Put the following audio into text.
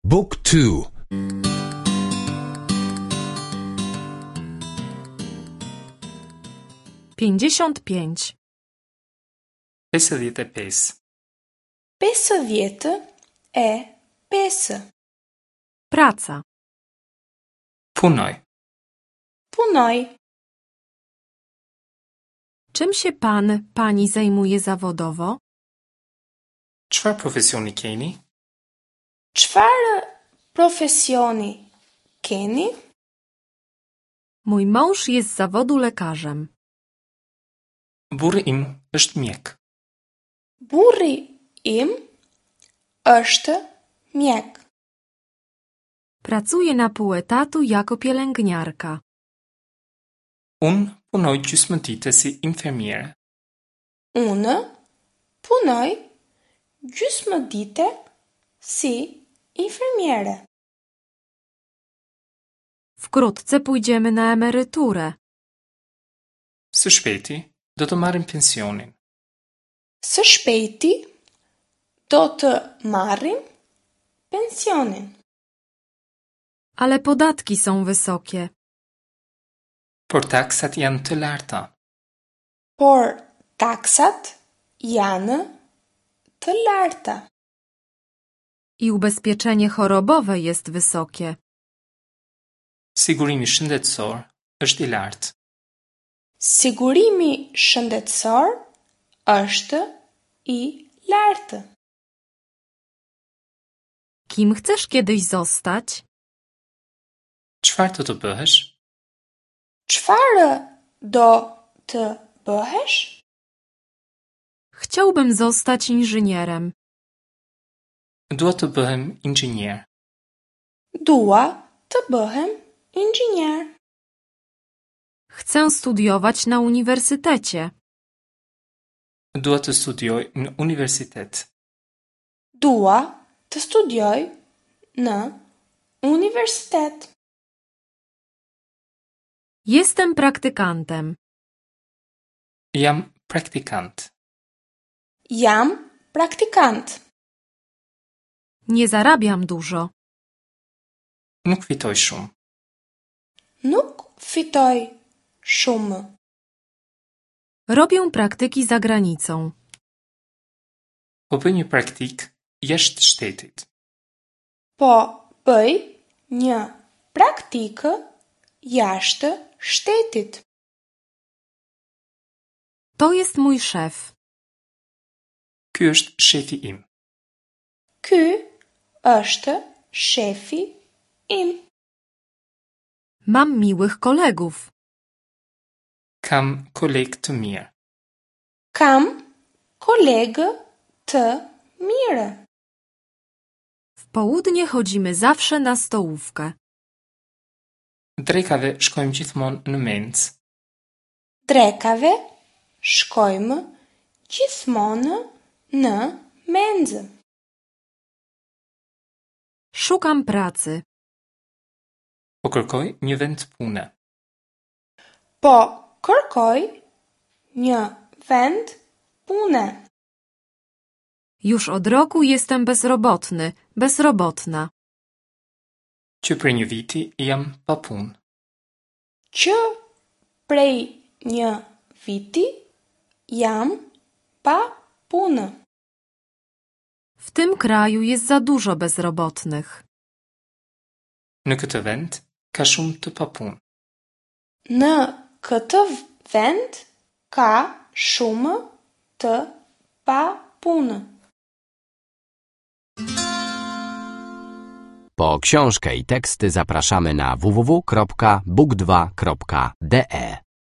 Book 2 55. 55. 55. Praca. Punoj. Punoj. Czym się pan, pani zajmuje zawodowo? Çfarë profesioni keni? Çfarë profesioni keni? Mój mąż jest z zawodu lekarzem. Burri im është mjek. Burri im është mjek. Pracuje na pół etatu jako pielęgniarka. Unë punoj gjysmë dite si infermiere. Unë punoj gjysmë dite si infermiere. Wkrótce pójdziemy na emeryturę. Së shpejti do të marrim pensionin. Së shpejti do të marrim pensionin. Ale podatki są wysokie. Por taksat janë të larta. Por taksat janë të larta. I ubezpieczenie chorobowe jest wysokie. Sigurimi shëndetësor është i lartë. Sigurimi shëndetësor është i lartë. Kim chcesz kiedyś zostać? Çfarë do të bëhesh? Çfarë do të bëhesh? Chciałbym zostać inżynierem. Dua të bëhem inxhinier. Dua të bëhem inxhinier. Chcę studiować na uniwersytecie. Dua të studioj në universitet. Dua të studioj në universitet. Jestem praktykantem. Jam praktikant. Jam praktikant. Nie zarabiam dużo. Nuk fitoj shumë. Nuk fitoj shumë. Robię praktyki za granicą. Po bëj një praktik jashtë shtetit. Po bëj një praktikë jashtë shtetit. To jest mój szef. Ky është shefi im. Ky është shefi im. Mam miłych kolegów. Kam koleg të mirë. Kam kolegë të mirë. W południe chodzimy zawsze na stołówkę. Drekave shkojmë gjithmonë në mencë. Drekave shkojmë gjithmonë në menzë. Szukam pracy. Po kërkoj një vend pune. Po kërkoj një vend pune. Już od roku jestem bezrobotny, bezrobotna. Që prej një viti jam pa punë. Që prej një viti jam pa punë. W tym kraju jest za dużo bezrobotnych. Në këtë vend ka shumë të papunë. Në këtë vend ka shumë të papunë. Po książkę i teksty zapraszamy na www.book2.de.